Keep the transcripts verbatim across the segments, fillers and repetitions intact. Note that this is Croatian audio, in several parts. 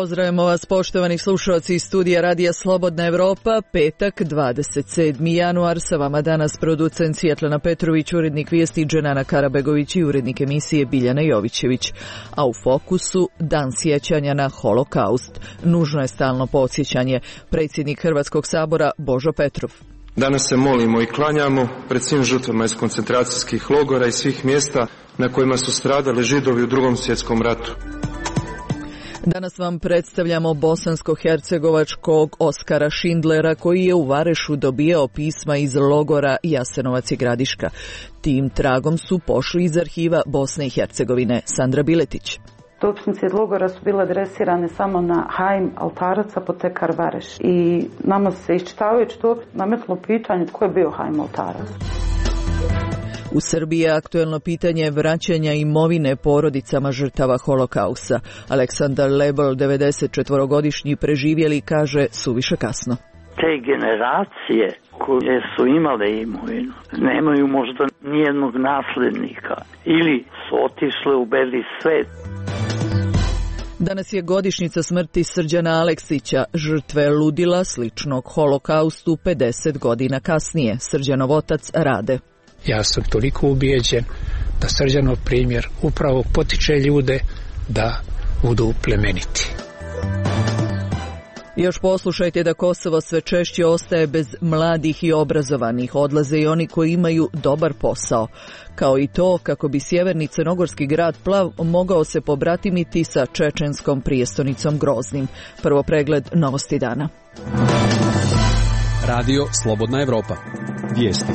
Pozdravimo vas, poštovani slušalci iz studija Radija Slobodna Evropa, petak, dvadeset sedmi januar, sa vama danas producent Svjetlana Petrović, urednik vijesti Dženana Karabegović i urednik emisije Biljana Jovićević. A u fokusu dan sjećanja na holokaust. Nužno je stalno podsjećanje. Predsjednik Hrvatskog sabora Božo Petrov. Danas se molimo i klanjamo pred svim žrtvama iz koncentracijskih logora i svih mjesta na kojima su stradali Židovi u Drugom svjetskom ratu. Danas vam predstavljamo bosansko-hercegovačkog Oskara Šindlera koji je u Varešu dobijao pisma iz logora Jasenovac i Gradiška. Tim tragom su pošli iz arhiva Bosne i Hercegovine. Sandra Biletić. Dopisnice iz logora su bile adresirane samo na Hajm Altarac, apotekar Vareš. I nama se iščitavajući to nametlo pitanje tko je bio Hajm Altarac. U Srbiji je aktuelno pitanje vraćanja imovine porodicama žrtava holokausta. Aleksandar Lebel, devedesetčetvorogodišnji preživjeli, kaže suviše kasno. Te generacije koje su imale imovinu nemaju možda nijednog nasljednika ili su otišle u beli svet. Danas je godišnjica smrti Srđana Aleksića, žrtve ludila sličnog holokaustu pedeset godina kasnije. Srđanov otac Rade. Ja sam toliko ubijeđen da Srđanov primjer upravo potiče ljude da budu plemeniti. Još poslušajte da Kosovo sve češće ostaje bez mladih i obrazovanih, odlaze i oni koji imaju dobar posao. Kao i to kako bi sjeverni crnogorski grad Plav mogao se pobratimiti sa čečenskom prijestonicom Groznim. Prvo pregled novosti dana. Radio Slobodna Evropa. Vijesti.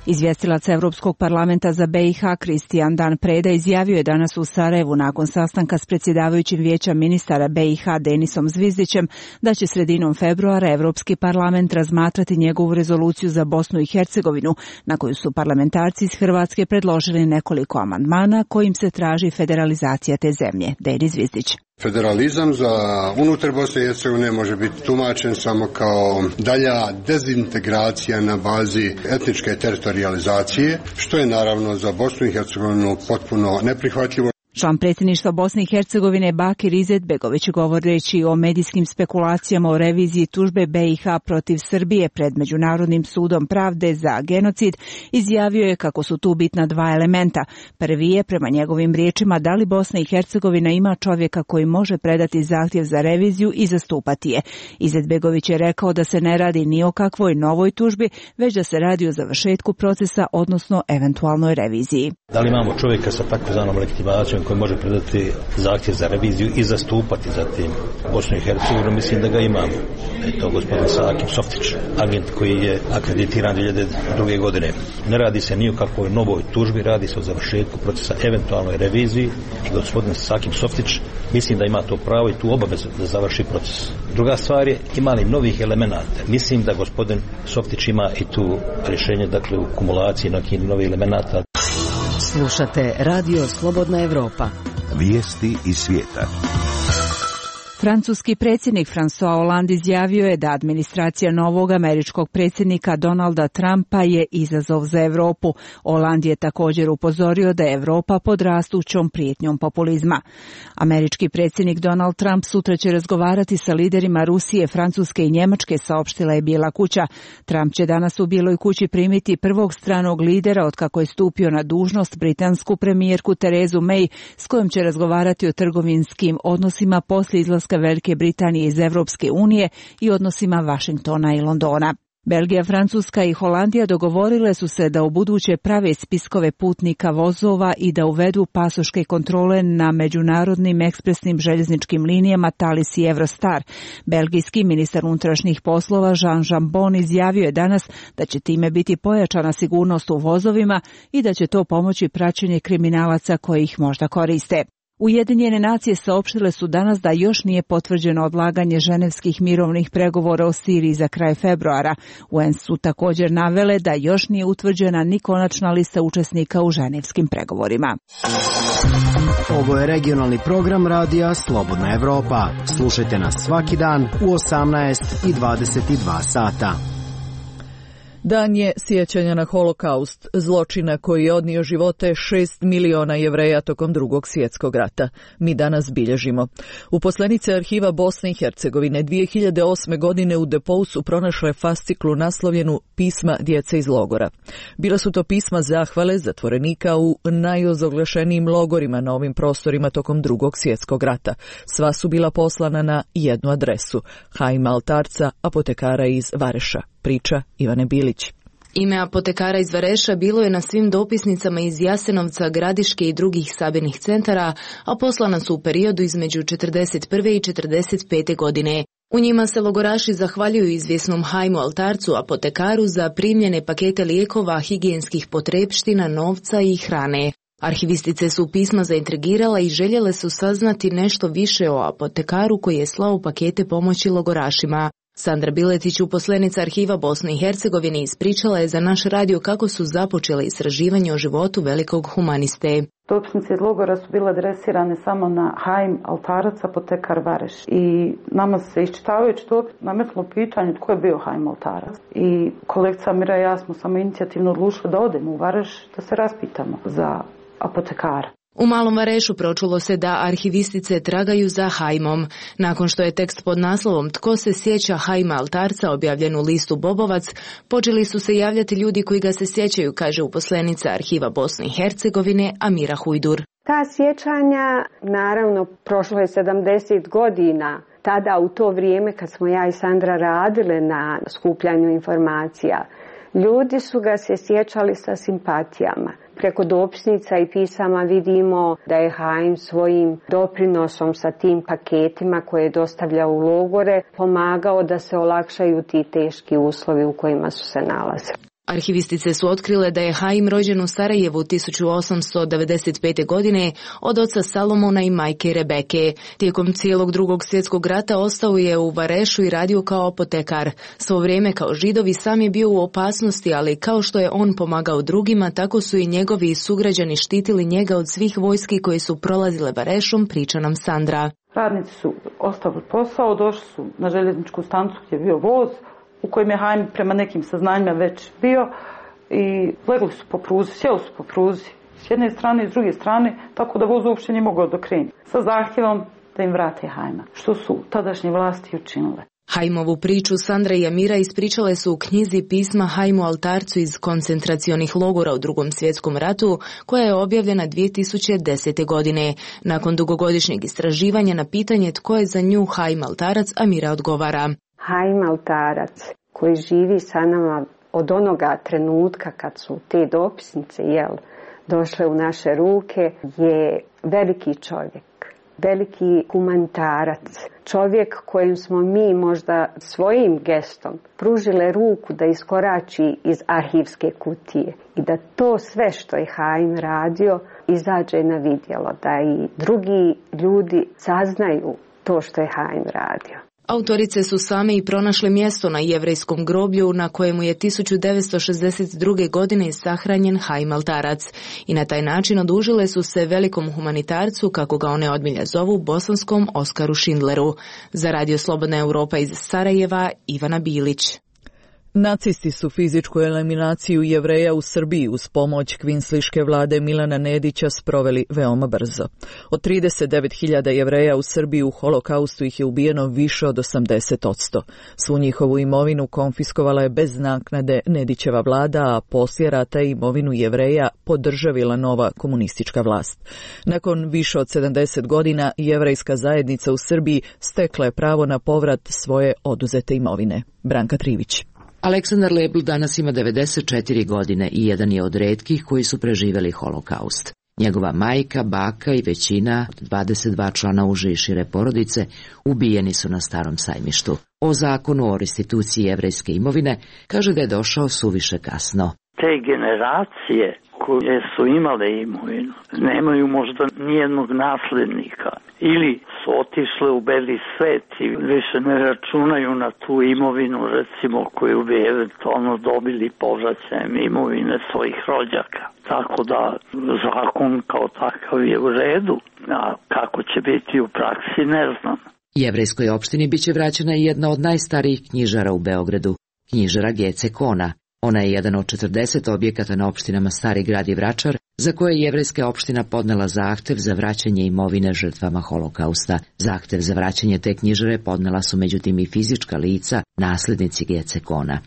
Izvjestilac Evropskog parlamenta za B i H Kristijan Dan Preda izjavio je danas u Sarajevu nakon sastanka s predsjedavajućim vijeća ministara B i H Denisom Zvizdićem da će sredinom februara Evropski parlament razmatrati njegovu rezoluciju za Bosnu i Hercegovinu, na koju su parlamentarci iz Hrvatske predložili nekoliko amandmana kojim se traži federalizacija te zemlje. Denis Zvizdić. Federalizam za unutar Bosne i Hercegovine može biti tumačen samo kao dalja dezintegracija na bazi etničke teritorijalizacije, što je naravno za Bosnu i Hercegovinu potpuno neprihvatljivo. Član predsjedništva Bosne i Hercegovine Bakir Izetbegović, govoreći o medijskim spekulacijama o reviziji tužbe B i H protiv Srbije pred Međunarodnim sudom pravde za genocid, izjavio je kako su tu bitna dva elementa. Prvi je, prema njegovim riječima, da li Bosna i Hercegovina ima čovjeka koji može predati zahtjev za reviziju i zastupati je. Izetbegović je rekao da se ne radi ni o kakvoj novoj tužbi, već da se radi o završetku procesa, odnosno eventualnoj reviziji. Da li imamo čovjeka sa takozvanom legitimacijom koji može predati zahtjev za reviziju i zastupati zatim Bosnu i Hercegovinu? Mislim da ga imamo. Je to gospodin Sakim Softić, agent koji je akreditiran dvije hiljade druge. godine. Ne radi se ni o kakvoj novoj tužbi, radi se o završetku procesa eventualnoj reviziji i gospodin Sakim Softić mislim da ima to pravo i tu obavezu da završi proces. Druga stvar je, ima li novih elemenata? Mislim da gospodin Softić ima i tu rješenje, dakle u kumulaciji nekih novih elemenata. Slušate Radio Slobodna Evropa. Vijesti iz svijeta. Francuski predsjednik François Hollande izjavio je da administracija novog američkog predsjednika Donalda Trumpa je izazov za Europu. Hollande je također upozorio da je Europa pod rastućom prijetnjom populizma. Američki predsjednik Donald Trump sutra će razgovarati sa liderima Rusije, Francuske i Njemačke, saopštila je Bijela kuća. Trump će danas u Bijeloj kući primiti prvog stranog lidera otkako je stupio na dužnost, britansku premijerku Terezu May, s kojom će razgovarati o trgovinskim odnosima poslije izlaska Velike Britanije iz Evropske unije i odnosima Vašingtona i Londona. Belgija, Francuska i Holandija dogovorile su se da ubuduće prave spiskove putnika vozova i da uvedu pasoške kontrole na međunarodnim ekspresnim željezničkim linijama Thalys i Eurostar. Belgijski ministar unutrašnjih poslova Jean Jambon izjavio je danas da će time biti pojačana sigurnost u vozovima i da će to pomoći praćenje kriminalaca koji ih možda koriste. Ujedinjene nacije saopštile su danas da još nije potvrđeno odlaganje ženevskih mirovnih pregovora o Siriji za kraj februara. U en su također navele da još nije utvrđena ni konačna lista učesnika u ženevskim pregovorima. Ovo je regionalni program radija Slobodna Evropa. Slušajte nas svaki dan u osamnaest i dvadeset dva sata. Dan je sjećanja na holokaust, zločina koji je odnio živote šest miliona Jevreja tokom drugog svjetskog rata. Mi danas bilježimo. Uposlenice arhiva Bosne i Hercegovine dvije hiljade osme. godine u Depou su pronašle fasciklu naslovljenu Pisma djece iz logora. Bila su to pisma zahvale zatvorenika u najozoglašenijim logorima na ovim prostorima tokom drugog svjetskog rata. Sva su bila poslana na jednu adresu, Haima Altarca, apotekara iz Vareša. Priča Ivane Bilić. Ime apotekara iz Vareša bilo je na svim dopisnicama iz Jasenovca, Gradiške i drugih sabirnih centara, a poslana su u periodu između četrdeset prve i četrdeset pete. godine. U njima se logoraši zahvaljuju izvjesnom Haimu Altarcu, apotekaru, za primljene pakete lijekova, higijenskih potrepština, novca i hrane. Arhivistice su pisma zaintrigirala i željele su saznati nešto više o apotekaru koji je slao pakete pomoći logorašima. Sandra Biletić, uposlenica arhiva Bosne i Hercegovine, ispričala je za naš radio kako su započele istraživanje o životu velikog humaniste. Dopisnice iz logora su bile adresirane samo na Haim Altarac, apotekar Vareš. I nama se iščitavajući to nametlo pitanje tko je bio Haim Altarac. I kolegica Mira i ja smo samo inicijativno odlučili da odemo u Vareš da se raspitamo za apotekara. U Malom Varešu pročulo se da arhivistice tragaju za Haimom. Nakon što je tekst pod naslovom Tko se sjeća Haima Altarca objavljen u listu Bobovac, počeli su se javljati ljudi koji ga se sjećaju, kaže uposlenica arhiva Bosne i Hercegovine Amira Hujdur. Ta sjećanja, naravno, prošlo je sedamdeset godina. Tada u to vrijeme kad smo ja i Sandra radile na skupljanju informacija, ljudi su ga se sjećali sa simpatijama. Preko dopisnica i pisama vidimo da je Haim svojim doprinosom sa tim paketima koje je dostavljao u logore pomagao da se olakšaju ti teški uslovi u kojima su se nalazili. Arhivistice su otkrile da je Haim rođen u Sarajevu tisuću osamsto devedeset pete. godine od oca Salomona i majke Rebeke. Tijekom cijelog drugog svjetskog rata ostao je u Varešu i radio kao apotekar. Svo vrijeme kao Židovi sam je bio u opasnosti, ali kao što je on pomagao drugima, tako su i njegovi sugrađani štitili njega od svih vojski koje su prolazile Varešom, priča nam Sandra. Radnici su ostavili posao, došli su na željezničku stanicu gdje je bio voz, u kojem je Haim prema nekim saznanjima već bio i legli su po pruzi, sjeli su po pruzi s jedne strane i s druge strane, tako da voz uopće nije mogao dokrenuti, sa zahtjevom da im vrate Haima, što su tadašnje vlasti učinile. Haimovu priču Sandra i Amira ispričale su u knjizi Pisma Haimu Altarcu iz koncentracionih logora u drugom svjetskom ratu, koja je objavljena dvije tisuće desete. godine. Nakon dugogodišnjeg istraživanja na pitanje tko je za nju Haim Altarac, Amira odgovara. Haim Altarac, koji živi sa nama od onoga trenutka kad su te dopisnice jel, došle u naše ruke, je veliki čovjek, veliki humanitarac, čovjek kojem smo mi možda svojim gestom pružile ruku da iskorači iz arhivske kutije i da to sve što je Haim radio izađe na vidjelo, da i drugi ljudi saznaju to što je Haim radio. Autorice su same i pronašle mjesto na jevrejskom groblju na kojemu je tisuću devetsto šezdeset druge. godine sahranjen Haim Altarac i na taj način odužile su se velikom humanitarcu, kako ga one odmilja zovu, bosanskom Oskaru Schindleru. Za Radio Slobodna Europa iz Sarajeva, Ivana Bilić. Nacisti su fizičku eliminaciju Jevreja u Srbiji uz pomoć kvinsliške vlade Milana Nedića sproveli veoma brzo. Od trideset devet hiljada Jevreja u Srbiji u holokaustu ih je ubijeno više od osamdeset posto. Svu njihovu imovinu konfiskovala je bez naknade Nedićeva vlada, a poslije rata imovinu Jevreja podržavila nova komunistička vlast. Nakon više od sedamdeset godina jevrejska zajednica u Srbiji stekla je pravo na povrat svoje oduzete imovine. Branka Trivić. Aleksandar Lebl danas ima devedeset četiri godine i jedan je od retkih koji su preživjeli holokaust. Njegova majka, baka i većina od dvadeset dva člana uže i šire porodice ubijeni su na Starom sajmištu. O zakonu o restituciji jevrejske imovine kaže da je došao suviše kasno. Te generacije koje su imale imovinu nemaju možda nijednog nasljednika ili su otišle u beli svet i više ne računaju na tu imovinu, recimo, koju bi eventualno dobili povraćajem imovine svojih rođaka. Tako da zakon kao takav je u redu, a kako će biti u praksi ne znam. Jevrejskoj opštini biće vraćena i jedna od najstarijih knjižara u Beogradu, knjižara Gece Kona. Ona je jedan od četrdeset objekata na opštinama Stari Grad i Vračar, za koje je jevrejska opština podnela zahtev za vraćanje imovine žrtvama holokausta. Zahtev za vraćanje te knjižare podnela su međutim i fizička lica, naslednici Gecekona.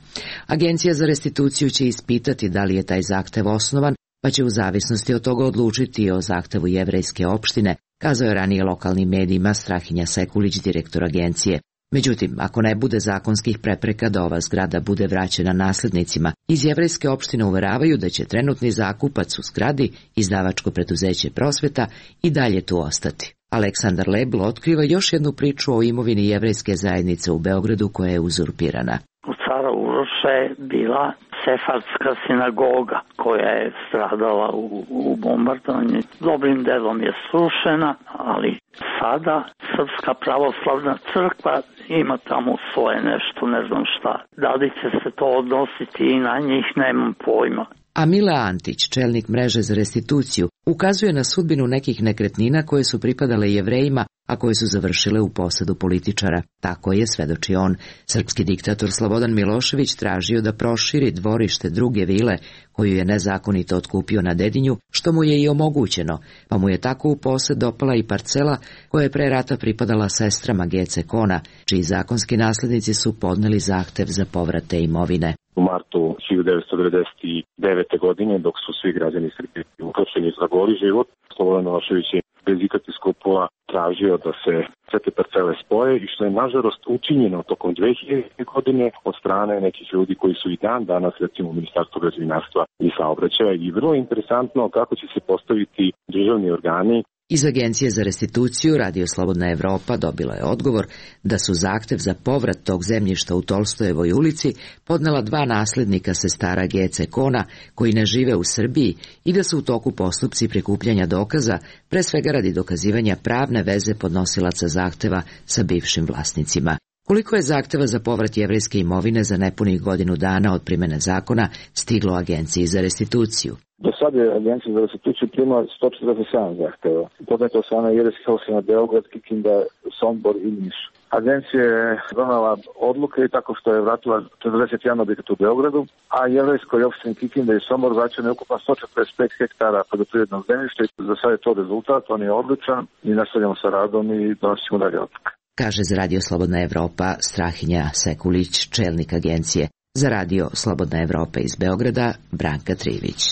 Agencija za restituciju će ispitati da li je taj zahtev osnovan, pa će u zavisnosti od toga odlučiti o zahtevu jevrejske opštine, kazao je ranije lokalnim medijima Strahinja Sekulić, direktor agencije. Međutim, ako ne bude zakonskih prepreka da ova zgrada bude vraćena naslednicima, iz jevrejske opštine uveravaju da će trenutni zakupac u zgradi, izdavačko preduzeće Prosveta, i dalje tu ostati. Aleksandar Lebl otkriva još jednu priču o imovini jevrejske zajednice u Beogradu koja je uzurpirana. U Cara Uroša je bila sefardska sinagoga koja je stradala u, u bombardovanju. Dobrim delom je srušena, ali sada Srpska pravoslavna crkva ima tamo svoje nešto, ne znam šta. Da li će se to odnositi i na njih, nemam pojma. A Mila Antić, čelnik mreže za restituciju, ukazuje na sudbinu nekih nekretnina koje su pripadale Jevrejima, a koje su završile u posedu političara. Tako je, svedoči on, srpski diktator Slobodan Milošević tražio da proširi dvorište druge vile, koju je nezakonito otkupio na Dedinju, što mu je i omogućeno, pa mu je tako u posed dopala i parcela koja je pre rata pripadala sestrama Gecekona, čiji zakonski naslednici su podneli zahtev za povrat te imovine. U martu hiljadu devetsto devedeset devete. godine, dok su svi građani Srbije uhapšeni za goli život, Slobodan Milošević je bez ikakvih skrupula tražio da se sve te parcele spoje, i što je nažalost učinjeno tokom dve hiljadite. godine od strane nekih ljudi koji su i dan danas, recimo u Ministarstvu građevinarstva i saobraćaja, i vrlo interesantno kako će se postaviti državni organi. Iz Agencije za restituciju Radio Slobodna Evropa dobila je odgovor da su zahtev za povrat tog zemljišta u Tolstojevoj ulici podnela dva naslednika sestara Gecekona koji ne žive u Srbiji i da su u toku postupci prikupljanja dokaza, pre svega radi dokazivanja pravne veze podnosilaca zahteva sa bivšim vlasnicima. Koliko je zahteva za povrat jevrejske imovine za nepunih godinu dana od primene zakona stiglo Agenciji za restituciju? Do sada je Agencija za restituciju primala sto četrdeset sedam zahteva. Podneto od strane jevrejskih opština Beograd, Kikinda, Sombor i Niš. Agencija je donela odluke i tako što je vratila četrdeset jedan objekata u Beogradu, a jevrejskoj opštini Kikinda i Sombor vraćeno je ukupno sto četrdeset pet hektara poljoprivrednog zemljišta. Za sad je to rezultat, on je odličan i nastavljamo sa radom i donosimo dalje odluke. Kaže za Radio Slobodna Evropa Strahinja Sekulić, čelnik agencije. Za Radio Slobodna Evropa iz Beograda Branka Trivić.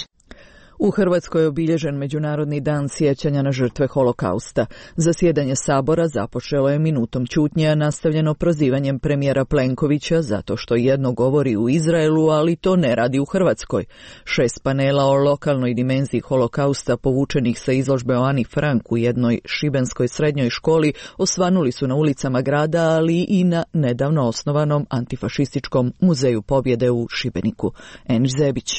U Hrvatskoj je obilježen Međunarodni dan sjećanja na žrtve holokausta. Zasjedanje Sabora započelo je minutom ćutnje, nastavljeno prozivanjem premijera Plenkovića zato što jedno govori u Izraelu, ali to ne radi u Hrvatskoj. Šest panela o lokalnoj dimenziji holokausta povučenih sa izložbe o Ani Frank u jednoj šibenskoj srednjoj školi osvanuli su na ulicama grada, ali i na nedavno osnovanom antifašističkom muzeju pobjede u Šibeniku. Eniš Zebić.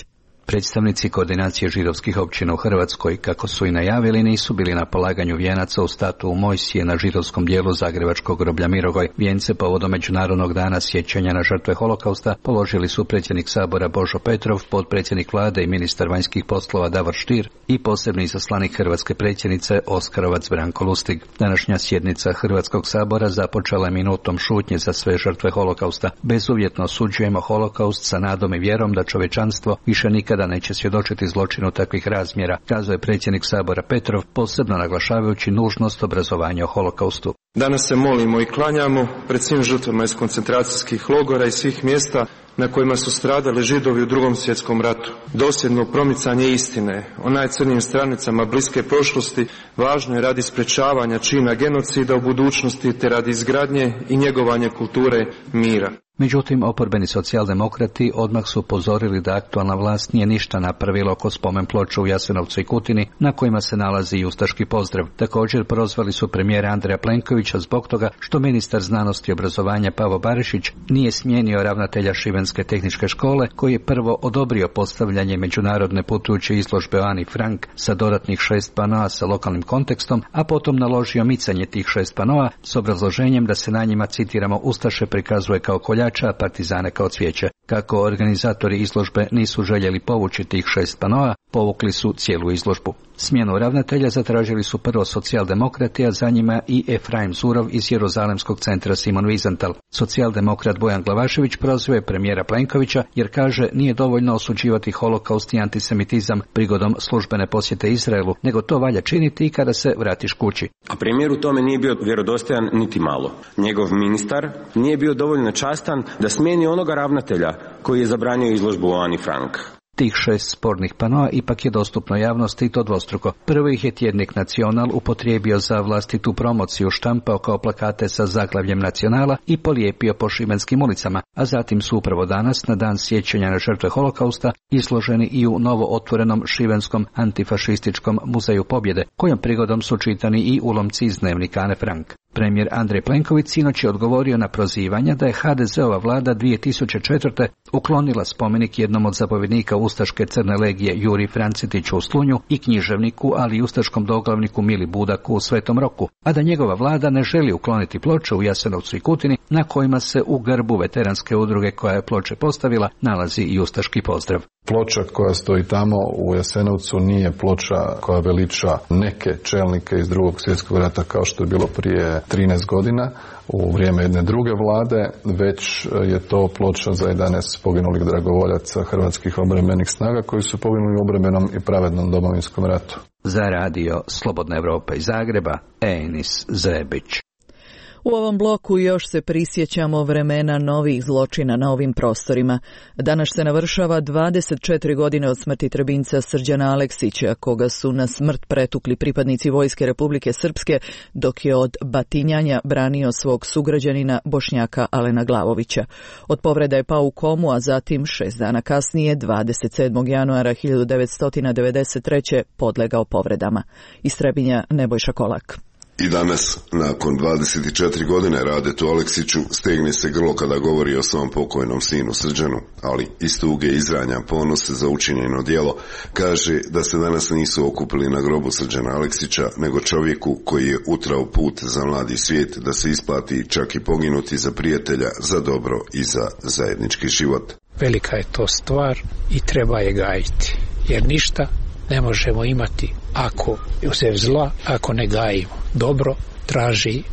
Predstavnici koordinacije židovskih općina u Hrvatskoj, kako su i najavili, nisu bili na polaganju vijenaca u statu u Mojsije na židovskom dijelu zagrebačkog groblja Mirogoj. Vijence povodom Međunarodnog dana sjećanja na žrtve holokausta položili su predsjednik Sabora Božo Petrov, potpredsjednik vlade i ministar vanjskih poslova Davor Stier i posebni izaslanik hrvatske predsjednice Oskarovac Branko Lustig. Današnja sjednica Hrvatskog sabora započela je minutom šutnje za sve žrtve holokausta. Bezuvjetno osuđujemo holokaust sa nadom i vjerom da čovječanstvo više nikada da neće svjedočiti zločinu takvih razmjera, kazao je predsjednik Sabora Petrov, posebno naglašavajući nužnost obrazovanja o holokaustu. Danas se molimo i klanjamo pred svim žrtvama iz koncentracijskih logora i svih mjesta na kojima su stradali Židovi u Drugom svjetskom ratu. Dosljedno promicanje istine o najcrnijim stranicama bliske prošlosti važno je radi sprečavanja čina genocida u budućnosti te radi izgradnje i njegovanja kulture mira. Međutim, oporbeni socijaldemokrati odmah su upozorili da aktualna vlast nije ništa napravila oko spomen ploča u Jasenovcu i Kutini, na kojima se nalazi i ustaški pozdrav. Također prozvali su premijera Andreja Plenkovića zbog toga što ministar znanosti i obrazovanja Pavo Barišić nije smijenio ravnatelja Šibenske tehničke škole, koji je prvo odobrio postavljanje međunarodne putujuće izložbe o Ani Frank sa dodatnih šest panoa sa lokalnim kontekstom, a potom naložio micanje tih šest panoa s obrazloženjem da se na njima, citiramo, ustaše prikazuje kao koljač, a partizane kao cvijeće. Kako organizatori izložbe nisu željeli povući tih šest panoa, povukli su cijelu izložbu. Smjenu ravnatelja zatražili su prvo socijaldemokrati, a za njima i Efraim Zurov iz Jeruzalemskog centra Simon Wiesenthal. Socijaldemokrat Bojan Glavašević prozvao premijera Plenkovića jer kaže nije dovoljno osuđivati holokaust i antisemitizam prigodom službene posjete Izraelu, nego to valja činiti i kada se vratiš kući. A premijer u tome nije bio vjerodostojan niti malo. Njegov ministar nije bio dovoljno častan da smijeni onoga ravnatelja koji je zabranio izložbu o Ani Frank. Tih šest spornih panoa ipak je dostupno javnosti i to dvostruko. Prvo ih je tjednik Nacional upotrijebio za vlastitu promociju, štampao kao plakate sa zaglavljem Nacionala i polijepio po šibenskim ulicama, a zatim su upravo danas, na dan sjećanja na žrtve holokausta, izloženi i u novo otvorenom šibenskom antifašističkom muzeju pobjede, kojom prigodom su čitani i ulomci iz dnevnika Ane Frank. Premijer Andrej Plenković sinoć je odgovorio na prozivanja da je ha de zeova vlada dvije tisuće četvrte. uklonila spomenik jednom od zapovjednika ustaške crne legije Juri Francetiću u Slunju i književniku, ali i ustaškom doglavniku Mili Budaku u Svetom Roku, a da njegova vlada ne želi ukloniti ploče u Jasenovcu i Kutini na kojima se u grbu veteranske udruge koja je ploče postavila nalazi i ustaški pozdrav. Ploča koja stoji tamo u Jasenovcu nije ploča koja veliča neke čelnike iz Drugog svjetskog rata kao što je bilo prije trinaest godina u vrijeme jedne druge vlade, već je to ploča za jedanaest poginulih dragovoljaca hrvatskih obrambenih snaga koji su poginuli u obrambenom i pravednom Domovinskom ratu. Za radio Slobodna Evropa iz Zagreba, Enis Zebić. U ovom bloku još se prisjećamo vremena novih zločina na ovim prostorima. Danas se navršava dvadeset četiri godine od smrti Trebinjca Srđana Aleksića, koga su na smrt pretukli pripadnici Vojske Republike Srpske, dok je od batinjanja branio svog sugrađanina Bošnjaka Alena Glavovića. Od povreda je pao u komu, a zatim šest dana kasnije, dvadeset sedmog januara hiljadu devetsto devedeset treće podlegao povredama. Iz Trebinja Nebojša Kolak. I danas, nakon dvadeset četiri godine Radetu Aleksiću, stegne se grlo kada govori o svom pokojnom sinu Srđanu, ali iz tuge izranja ponose za učinjeno djelo, kaže da se danas nisu okupili na grobu Srđana Aleksića, nego čovjeku koji je utrao put za mladi svijet da se isplati čak i poginuti za prijatelja, za dobro i za zajednički život. Velika je to stvar i treba je gajiti, jer ništa ne možemo imati ako uzev zla, ako ne gajimo. Dobro traži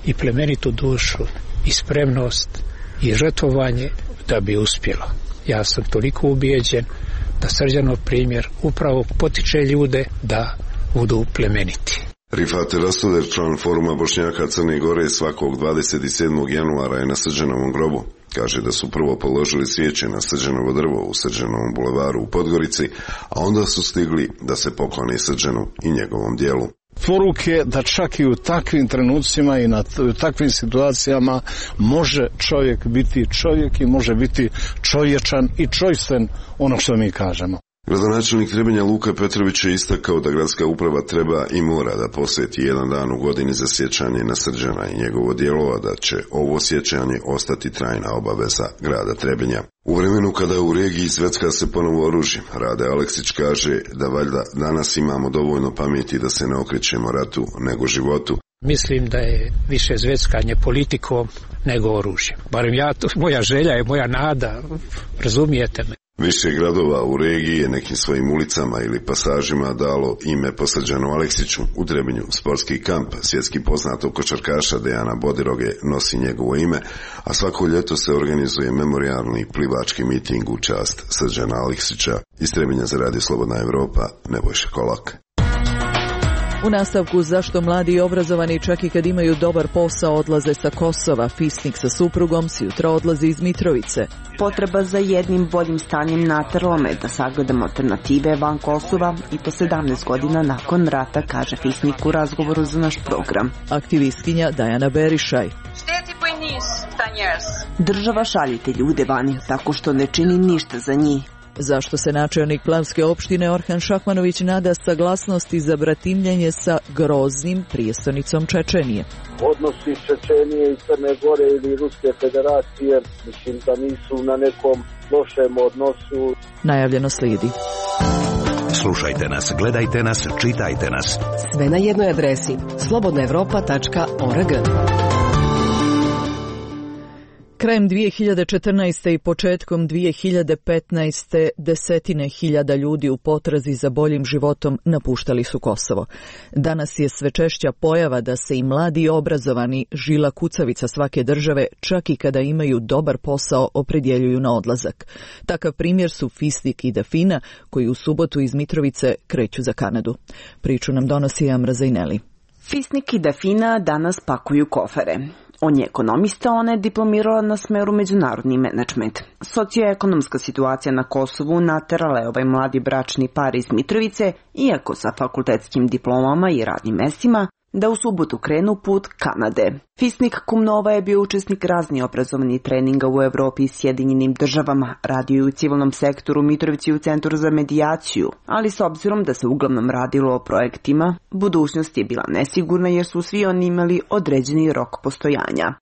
i plemenitu dušu i spremnost i žrtvovanje da bi uspjelo. Ja sam toliko ubijeđen da Srđanov primjer upravo potiče ljude da budu plemeniti. Rifat Rastoder, član foruma Bošnjaka Crne Gore, svakog dvadeset sedmog januara je na Srđanovom grobu. Kaže da su prvo položili svijeće na Srđanovo drvo u Srđanovom bulevaru u Podgorici, a onda su stigli da se poklone Srđanu i njegovom dijelu. Poruke da čak i u takvim trenucima i na u takvim situacijama može čovjek biti čovjek i može biti čovječan i čojstven, ono što mi kažemo. Gradonačelnik Trebinja Luka Petrović je istakao da gradska uprava treba i mora da posveti jedan dan u godini za sjećanje na Srđana i njegovo djelo, a da će ovo sjećanje ostati trajna obaveza grada Trebinja. U vremenu kada u regiji zvecka se ponovo oružje, Rade Aleksić kaže da valjda danas imamo dovoljno pameti da se ne okrećemo ratu nego životu. Mislim da je više zveckanje politikom nego oružjem. Barem ja, to, moja želja je, moja nada, razumijete me. Više gradova u regiji je nekim svojim ulicama ili pasažima dalo ime po Srđanu Aleksiću. U Trebinju sportski kamp svjetski poznatog košarkaša Dejana Bodiroge nosi njegovo ime, a svako ljeto se organizuje memorijalni plivački miting u čast Srđana Aleksića. Iz Trebinja za radio Slobodna Evropa, Nebojša Kolak. U nastavku zašto mladi i obrazovani čak i kad imaju dobar posao odlaze sa Kosova, Fisnik sa suprugom sjutra odlazi iz Mitrovice. Potreba za jednim boljim stanjem na Terlome da sagledamo alternative van Kosova i to sedamnaest godina nakon rata, kaže Fisnik u razgovoru za naš program. Aktivistkinja Dajana Berišaj. Država šaljite ljude vani tako što ne čini ništa za njih. Zašto se načelnik Planske opštine Orhan Šahmanović nada saglasnosti za bratimljenje sa groznim prijestonicom Čečenije? Odnosi Čečenije i Crne Gore ili Ruske federacije, mislim da nisu na nekom lošem odnosu. Najavljeno slijedi. Slušajte nas, gledajte nas, čitajte nas. Sve na jednoj adresi slobodna evropa tačka org. Krajem dvije hiljade četrnaeste. i početkom dvije hiljade petnaeste. desetine hiljada ljudi u potrazi za boljim životom napuštali su Kosovo. Danas je sve češća pojava da se i mladi i obrazovani, žila kucavica svake države, čak i kada imaju dobar posao, opredjeljuju na odlazak. Takav primjer su Fisnik i Dafina, koji u subotu iz Mitrovice kreću za Kanadu. Priču nam donosi Amra Zajneli. Fisnik i Dafina danas pakuju kofere. On je ekonomista, ona je diplomirala na smeru međunarodni menadžment. Socioekonomska situacija na Kosovu naterala je ovaj mladi bračni par iz Mitrovice, iako sa fakultetskim diplomama i radnim mestima, da u subotu krenu put Kanade. Fisnik Kumnova je bio učesnik raznih obrazovnih treninga u Evropi i Sjedinjenim državama, radio je u civilnom sektoru Mitrovici u Centru za medijaciju, ali s obzirom da se uglavnom radilo o projektima, budućnost je bila nesigurna jer su svi oni imali određeni rok postojanja.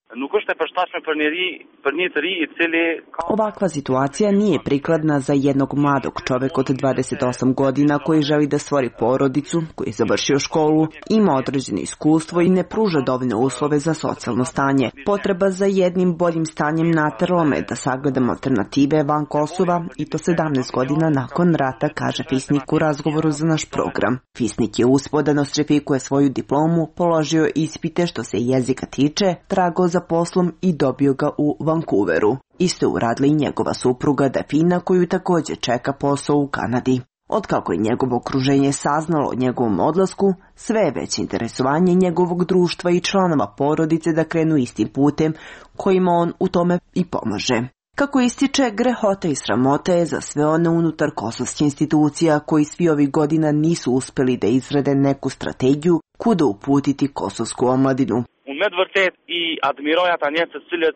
Ovakva situacija nije prikladna za jednog mladog čoveka od dvadeset osam godina koji želi da stvori porodicu, koji je završio školu, ima određeno iskustvo i ne pruža dovoljne uslove za socijalno stanje. Potreba za jednim boljim stanjem naterala me da sagledam alternative van Kosova i to sedamnaest godina nakon rata, kaže Fisnik u razgovoru za naš program. Fisnik je uspeo da nostrifikuje svoju diplomu, položio ispite što se jezika tiče, tragao za poslom i dobio ga u Vancouveru. Isto je uradila i njegova supruga Dafina, koju također čeka posao u Kanadi. Otkako je njegovo okruženje saznalo o njegovom odlasku, sve je veće interesovanje njegovog društva i članova porodice da krenu istim putem kojima on u tome i pomaže. Kako ističe, grehota i sramota je za sve one unutar kosovskih institucija koji svi ovih godina nisu uspeli da izrade neku strategiju kuda uputiti kosovsku omladinu.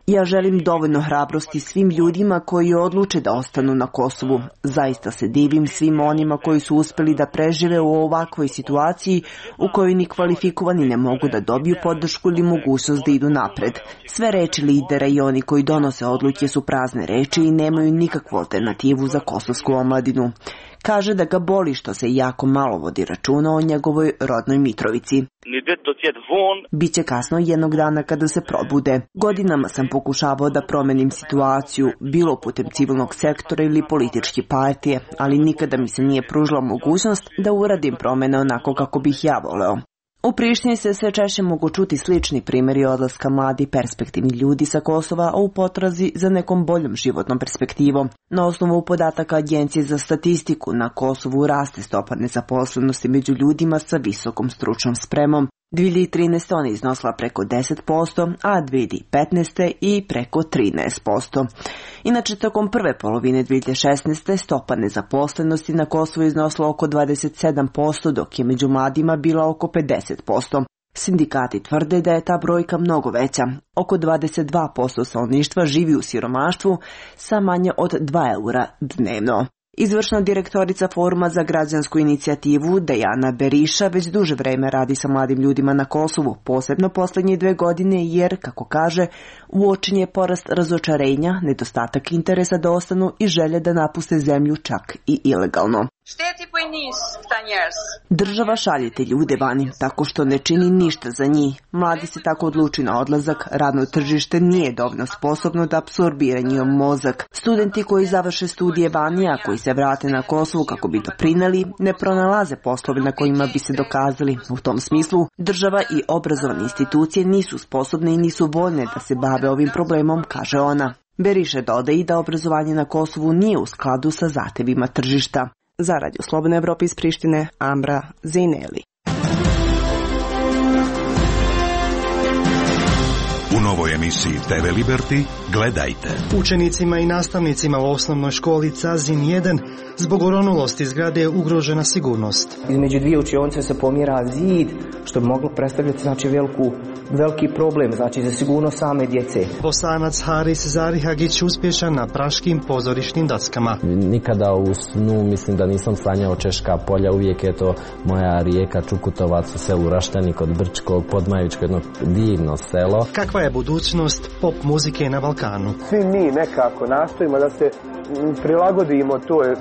Ja želim dovoljno hrabrosti svim ljudima koji odluče da ostanu na Kosovu. Zaista se divim svim onima koji su uspeli da prežive u ovakvoj situaciji u kojoj ni kvalifikovani ne mogu da dobiju podršku ili mogućnost da idu napred. Sve reči lidera i oni koji donose odluke su prazne reči i nemaju nikakvu alternativu za kosovsku omladinu. Kaže da ga boli što se jako malo vodi računa o njegovoj rodnoj Mitrovici. Biće kasno jednog dana kada se probude. Godinama sam pokušavao da promenim situaciju, bilo putem civilnog sektora ili političke partije, ali nikada mi se nije pružila mogućnost da uradim promene onako kako bih ja voleo. U Prištini se sve češće mogu čuti slični primjeri odlaska mladi perspektivni ljudi sa Kosova, a u potrazi za nekom boljom životnom perspektivom. Na osnovu podataka Agencije za statistiku na Kosovu raste stopa nezaposlenosti među ljudima sa visokom stručnom spremom. dvije hiljade trinaeste. ona je iznosila preko deset posto, a dvije hiljade petnaeste. i preko trinaest posto. Inače, tokom prve polovine dvije hiljade šesnaeste. stopa nezaposlenosti na Kosovu iznosila oko dvadeset sedam posto, dok je među mladima bila oko pedeset posto. Sindikati tvrde da je ta brojka mnogo veća. Oko dvadeset dva posto stanovništva živi u siromaštvu sa manje od dva eura dnevno. Izvršna direktorica Foruma za građansku inicijativu Dejana Beriša već duže vreme radi sa mladim ljudima na Kosovu, posebno posljednje dve godine jer, kako kaže, uočen je porast razočarenja, nedostatak interesa da ostanu i želje da napuste zemlju čak i ilegalno. Država šalje te ljude vani, tako što ne čini ništa za njih. Mladi se tako odluči na odlazak, radno tržište nije dovoljno sposobno da apsorbira njihov mozak. Studenti koji završe studije vani, a koji se vrate na Kosovu kako bi doprineli, ne pronalaze poslove na kojima bi se dokazali. U tom smislu, država i obrazovne institucije nisu sposobne i nisu voljne da se bave ovim problemom, kaže ona. Beriše dodaje i da obrazovanje na Kosovu nije u skladu sa zahtevima tržišta. Za Radio Slobodna Evropa iz Prištine, Amra Zajneli. U novoj emisiji te ve Liberty gledajte. Učenicima i nastavnicima u osnovnoj školi Cazin jedan zbog oronulosti zgrade je ugrožena sigurnost. Između dvije učionice se pomjera zid, što bi moglo predstavljati znači veliku, veliki problem znači za sigurnost same djece. Bosanac Haris Zarihagić uspješan na praškim pozorišnim daskama. Nikada u snu mislim da nisam sanjao Češka polja, uvijek je to moja rijeka Čukutovac u selu Raštani kod Brčkog, Podmajičko, jedno divno selo. Kakva je budućnost pop muzike na Balkanu? Svi mi nekako nastojimo da se prilagodimo toj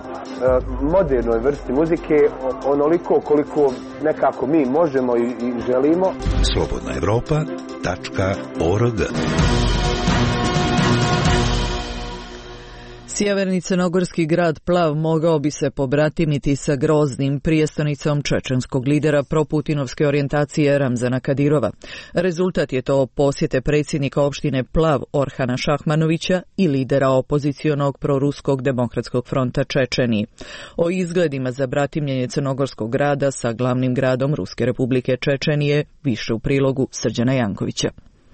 modernoj vrsti muzike onoliko koliko nekako mi možemo i, i želimo. slobodna evropa tačka org Sjeverni crnogorski grad Plav mogao bi se pobratimiti sa Groznim, prijestolnicom čečenskog lidera proputinovske orijentacije Ramzana Kadirova. Rezultat je to posjete predsjednika opštine Plav Orhana Šahmanovića i lidera opozicionog proruskog demokratskog fronta Čečeniji. O izgledima za bratimljenje crnogorskog grada sa glavnim gradom Ruske republike Čečenije više u prilogu Srđana Jankovića.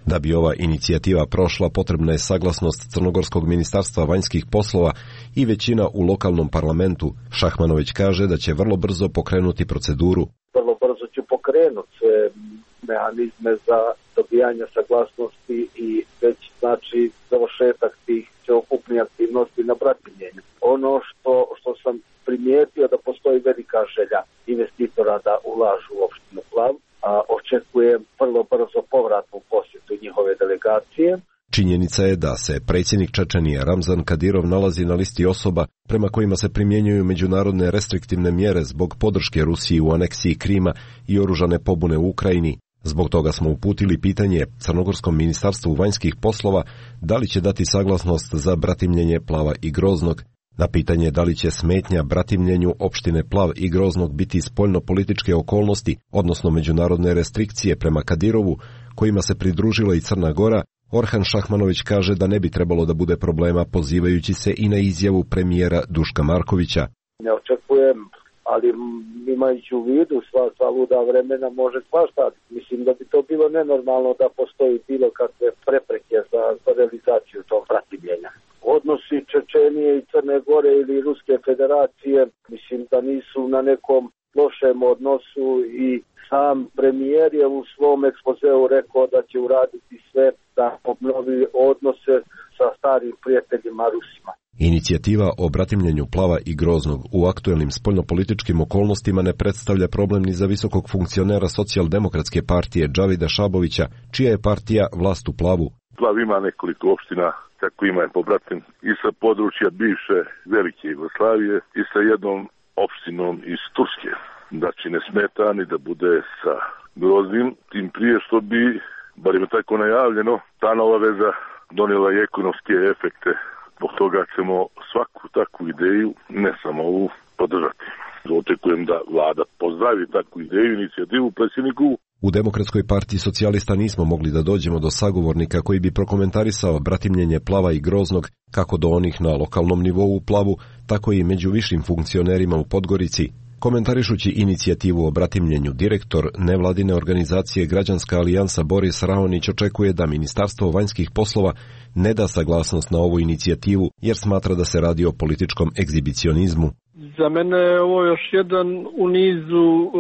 Da bi ova inicijativa prošla, potrebna je saglasnost Crnogorskog ministarstva vanjskih poslova i većina u lokalnom parlamentu. Šahmanović kaže da će vrlo brzo pokrenuti proceduru. Vrlo brzo ću pokrenuti mehanizme za dobijanje saglasnosti i već znači završetak tih sveukupnih aktivnosti na bratimljenju. Ono što, što sam primijetio da postoji velika želja investitora da ulažu u opštinu Plav, a očekujem vrlo brzo povratnu posjetu njihove delegacije. Činjenica je da se predsjednik Čečenije Ramzan Kadirov nalazi na listi osoba prema kojima se primjenjuju međunarodne restriktivne mjere zbog podrške Rusiji u aneksiji Krima i oružane pobune u Ukrajini. Zbog toga smo uputili pitanje Crnogorskom ministarstvu vanjskih poslova da li će dati saglasnost za bratimljenje Plava i Groznog. Na pitanje da li će smetnja bratimljenju opštine Plav i Groznog biti spoljno-političke okolnosti, odnosno međunarodne restrikcije prema Kadirovu, kojima se pridružila i Crna Gora, Orhan Šahmanović kaže da ne bi trebalo da bude problema, pozivajući se i na izjavu premijera Duška Markovića. Ne očekujem, ali imajući u vidu sva, sva luda vremena može svašta. Mislim da bi to bilo nenormalno da postoji bilo kakve prepreke za, za realizaciju tog bratimljenja. Odnosi Čečenije i Crne Gore ili Ruske federacije, mislim da nisu na nekom lošem odnosu i sam premijer je u svom ekspozeu rekao da će uraditi sve da obnovi odnose sa starim prijateljima Rusima. Inicijativa o bratimljenju Plava i Groznog u aktuelnim spoljnopolitičkim okolnostima ne predstavlja problem ni za visokog funkcionera socijaldemokratske partije Džavida Šabovića, čija je partija vlast u Plavu. Plav ima nekoliko opština, kako ima je pobratim i sa područja bivše Velike Jugoslavije i sa jednom opštinom iz Turske. Znači ne smeta ni da bude sa Groznim, tim prije što bi, bar je tako najavljeno, ta nova veza donijela i ekonomske efekte. Zbog toga ćemo svaku takvu ideju, ne samo ovu, podržati. Očekujem da vlada pozdravi takvu ideju, inicijativu predsjedniku. U Demokratskoj partiji socijalista nismo mogli da dođemo do sagovornika koji bi prokomentarisao bratimljenje Plava i Groznog, kako do onih na lokalnom nivou u Plavu, tako i među višim funkcionerima u Podgorici. Komentarišući inicijativu o bratimljenju, direktor nevladine organizacije Građanska alijansa Boris Raonić očekuje da Ministarstvo vanjskih poslova ne da saglasnost na ovu inicijativu jer smatra da se radi o političkom egzibicionizmu. Za mene je ovo još jedan u nizu uh,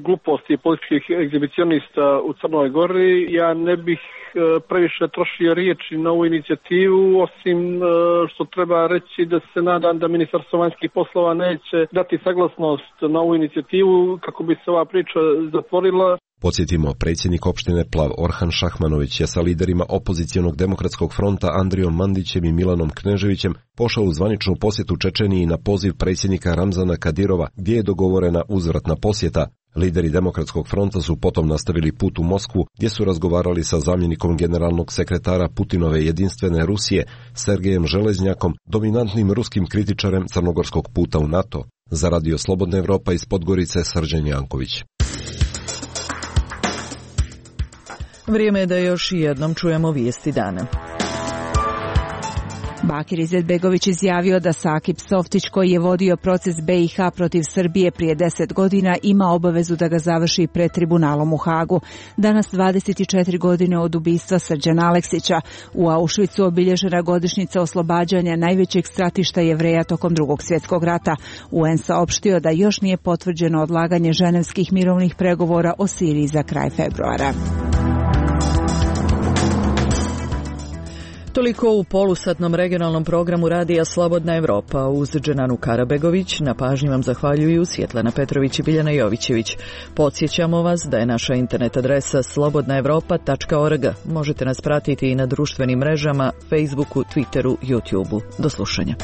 gluposti političkih egzibicionista u Crnoj Gori. Ja ne bih uh, previše trošio riječi na ovu inicijativu, osim uh, što treba reći da se nadam da Ministarstvo vanjskih poslova neće dati saglasnost na ovu inicijativu kako bi se ova priča zatvorila. Podsjetimo, predsjednik opštine Plav Orhan Šahmanović je sa liderima opozicionog demokratskog fronta Andrijom Mandićem i Milanom Kneževićem pošao u zvaničnu posjetu Čečeniji na poziv predsjednika Ramzana Kadirova, gdje je dogovorena uzvratna posjeta. Lideri demokratskog fronta su potom nastavili put u Moskvu, gdje su razgovarali sa zamjenikom generalnog sekretara Putinove jedinstvene Rusije, Sergejem Železnjakom, dominantnim ruskim kritičarem crnogorskog puta u NATO. Za Radio Slobodna Evropa iz Podgorice, Srđan Janković. Vrijeme je da još jednom čujemo vijesti dana. Bakir Izetbegović izjavio da Sakip Softić, koji je vodio proces B i H protiv Srbije prije deset godina, ima obavezu da ga završi pred tribunalom u Hagu. Danas, dvadeset četiri godine od ubistva Srđana Aleksića, u Auschwitzu obilježena godišnjica oslobađanja najvećeg stratišta Jevreja tokom Drugog svjetskog rata. U en saopštio da još nije potvrđeno odlaganje ženevskih mirovnih pregovora o Siriji za kraj februara. Toliko u polusatnom regionalnom programu Radija Slobodna Evropa. Uz Dženanu Karabegović na pažnji vam zahvaljuju Svjetlana Petrović i Biljana Jovićević. Podsjećamo vas da je naša internet adresa slobodna evropa tačka org. Možete nas pratiti i na društvenim mrežama, Facebooku, Twitteru, YouTubeu. Do slušanja.